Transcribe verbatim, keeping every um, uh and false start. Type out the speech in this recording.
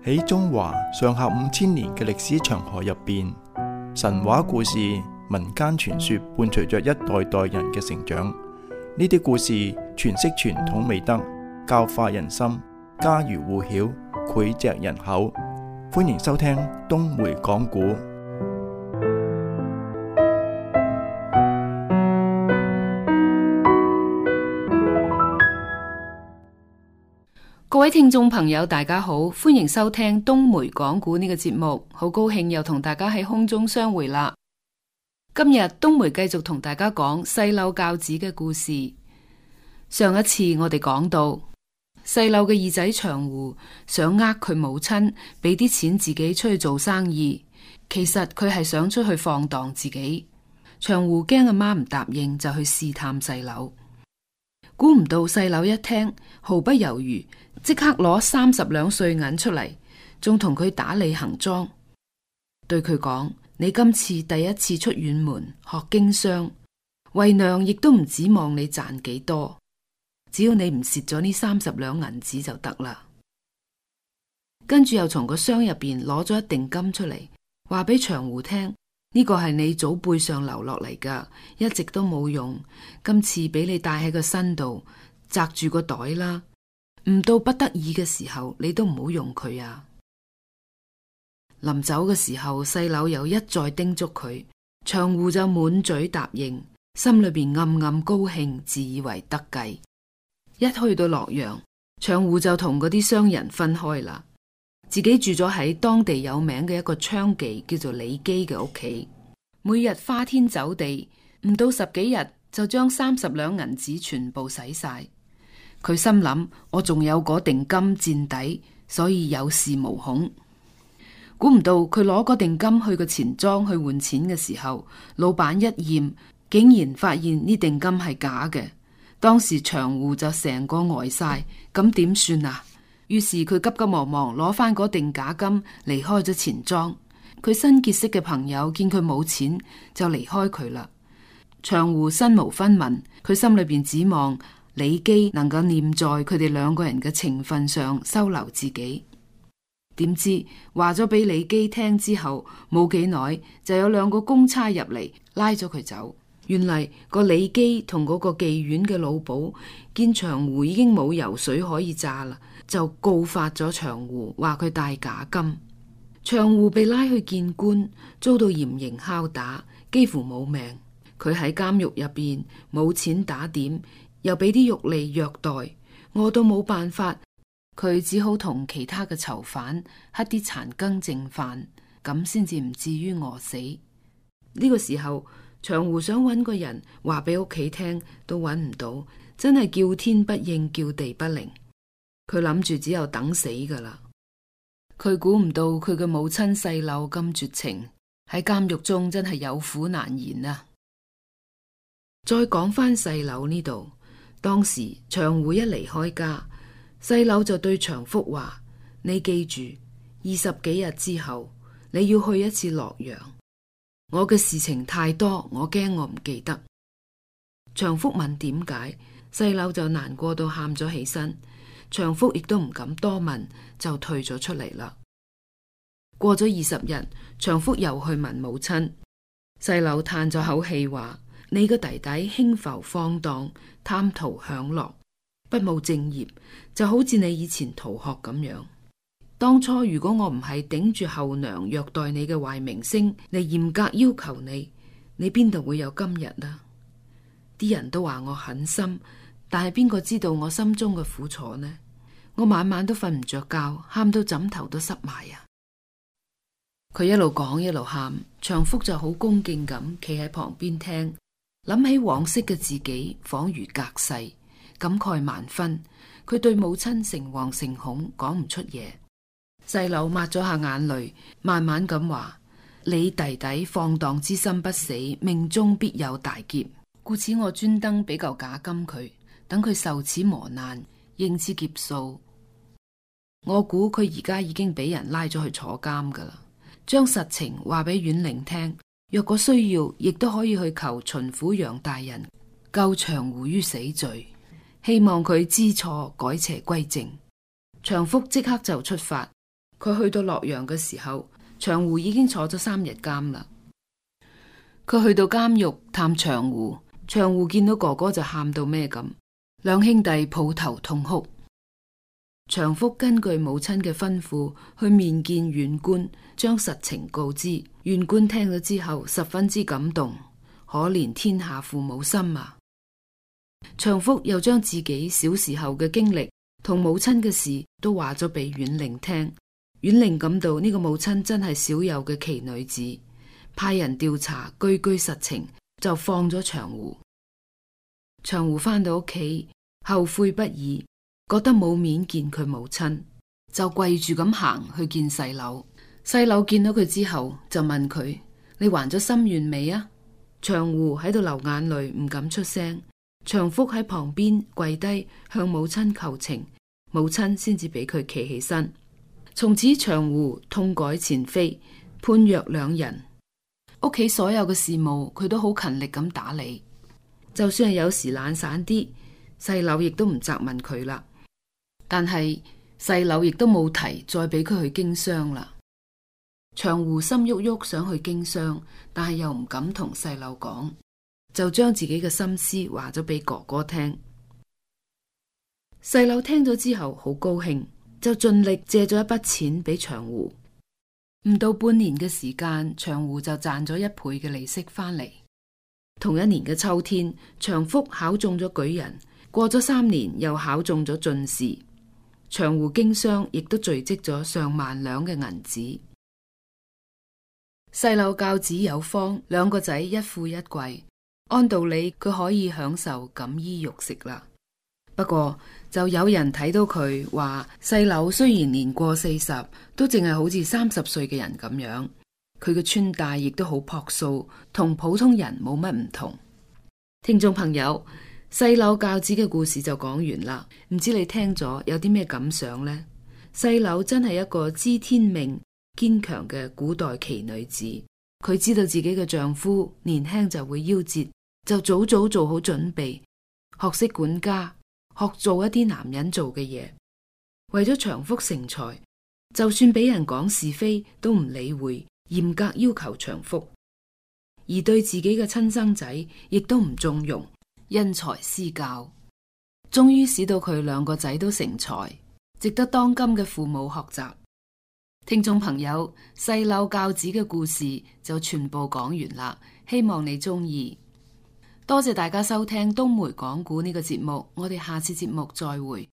喺中華上下五千年嘅歷史長河入邊，神話故事、民間傳說伴隨着一代代人嘅成長。呢啲故事詮釋傳統美德，教化人心，家喻戶曉，膾炙人口。歡迎收聽東梅講古。各位聽眾朋友大家好，歡迎收聽東梅講古呢個節目，好高興又同大家喺空中相會啦。今日東梅繼續同大家講細柳教子嘅故事。上一次我哋講到細柳嘅二仔長胡想呃佢母親俾啲錢自己出去做生意，其實佢係想出去放蕩自己。長胡驚阿媽唔答應，就去試探細柳。估唔到細柳一聽，毫不猶豫，即刻攞三十兩碎銀出嚟，仲同佢打理行裝，對佢講：你今次第一次出遠門學經商，為娘亦都唔指望你賺幾多，只要你唔蝕咗呢三十兩銀子就得啦。跟住又從個箱入邊攞咗一錠金出嚟，話俾長胡聽：呢個係你祖輩上留落嚟噶，一直都冇用，今次俾你戴喺個身度，紮住個袋啦。唔到不得已嘅時候，你都唔好用佢啊！臨走嘅時候，細柳又一再叮囑佢，長胡就滿嘴答應，心裏邊暗暗高興，自以為得計。一去到洛陽，長胡就同嗰啲商人分開啦，自己住咗喺當地有名嘅一個娼妓叫做李姬嘅屋企，每日花天酒地，唔到十幾日就將三十兩銀子全部使晒。佢心諗，我仲有嗰錠金墊底，所以有恃無恐。估唔到佢攞嗰錠金去個錢莊去換錢嘅時候，老闆一驗，竟然發現呢錠金係假嘅。當時長胡就成個呆晒，咁點算啊？於是佢急急忙忙攞翻嗰錠假金，離開咗錢莊。佢新結識嘅朋友見佢冇錢，就離開佢啦。長胡身無分文，佢心裏邊指望李姬能夠念在佢哋兩個人嘅情分上收留自己。點知話咗俾李姬聽之後，冇幾耐就有兩個公差入嚟拉咗佢走。原嚟個李姬同嗰個妓院嘅老鴇見長胡已經冇油水可以榨啦，就告發咗長胡，話佢帶假金。長胡被拉去見官，遭到嚴刑拷打，幾乎冇命。佢喺監獄入邊冇錢打點，又俾啲獄吏虐待，餓到冇辦法，佢只好同其他嘅囚犯乞啲殘羹剩飯，咁先至唔至於餓死。呢個時候，長胡想揾個人話俾屋企聽，都揾唔到，真係叫天不應，叫地不靈。佢諗住只有等死噶啦。佢估唔到佢嘅母親細柳咁絕情，喺監獄中真係有苦難言啊！再講翻細柳呢度，當時長胡一離開家，細柳就對長福話：你記住，二十幾日之後你要去一次洛陽。我嘅事情太多，我驚我唔記得。長福問點解，細柳就難過到喊咗起身。長福亦都唔敢多問，就退咗出嚟啦。過咗二十日，長福又去問母親，細柳嘆咗口氣話：你個弟弟輕浮放蕩，貪圖享樂，不務正業，就好似你以前逃學咁樣。當初如果我唔係頂住後娘虐待你嘅壞名聲嚟嚴格要求你，你邊度會有今日啊？啲人都話我狠心，但係邊個知道我心中嘅苦楚呢？我晚晚都瞓唔着覺，喊到枕頭都濕埋啊！佢一路講一路喊，長福就好恭敬咁企喺旁邊聽，諗起往昔嘅自己，恍如隔世，感慨萬分。佢對母親誠惶誠恐，講唔出嘢。細柳抹咗下眼淚，慢慢咁話：你弟弟放蕩之心不死，命中必有大劫，故此我專登俾嚿假金佢，等佢受此磨難，應此劫數。我估佢而家已經俾人拉咗去坐監噶啦。將實情話俾縣令聽，若果需要，亦都可以去求巡撫楊大人救長胡於死罪，希望佢知錯改邪歸正。長福即刻就出發。佢去到洛陽嘅時候，長湖已經坐咗三日監啦。佢去到監獄探長湖，長湖見到哥哥就喊到咩咁，兩兄弟抱頭痛哭。長福根據母親嘅吩咐去面見縣官，將實情告知。縣官聽咗之後十分之感動，可憐天下父母心啊！長福又將自己小時候嘅經歷同母親嘅事都話咗俾縣令聽。縣令感到呢個母親真係少有嘅奇女子，派人調查句句實情，就放咗長湖。長湖返到屋企後悔不已，覺得冇面見佢母親，就跪住咁行去見細佬。細佬見到佢之後就問佢：你還咗心願未啊？長湖喺度流眼淚，唔敢出聲。長福喺旁邊跪低向母親求情，母親先至俾佢企起身。從此長湖痛改前非，判若兩人。屋企所有嘅事務佢都好勤力咁打理，就算係有時懶散啲，細佬亦都唔責問佢啦。但係細佬亦都冇提再俾佢去經商啦。長湖心喐喐想去經商，但係又唔敢同細佬講，就將自己嘅心思話咗俾哥哥聽。細佬聽咗之後好高興，就盡力借咗一筆錢俾長湖。唔到半年嘅時間，長湖就賺咗一倍嘅利息翻嚟。同一年嘅秋天，長福考中咗舉人，過咗三年又考中咗進士。長湖經商亦都聚積咗上萬兩嘅銀紙。細佬教子有方，兩個仔一富一貴，按道理佢可以享受錦衣玉食啦。不過就有人睇到佢話，細佬雖然年過四十，都淨係好似三十歲嘅人咁樣。佢嘅穿戴亦都好樸素，同普通人冇乜唔同。聽眾朋友，細佬教子嘅故事就講完啦。唔知你聽咗有啲咩感想呢？細佬真係一個知天命、堅強嘅古代奇女子。佢知道自己嘅丈夫年輕就會夭折，就早早做好準備，學識管家，學做一啲男人做嘅嘢。為咗長福成才，就算俾人講是非都唔理會，嚴格要求長福。而對自己嘅親生仔亦都唔縱容，因材施教，終於使到佢兩個仔都成才，值得當今嘅父母學習。聽眾朋友，細佬教子嘅故事就全部講完啦，希望你中意。多謝大家收聽東梅講古呢個節目，我哋下次節目再會。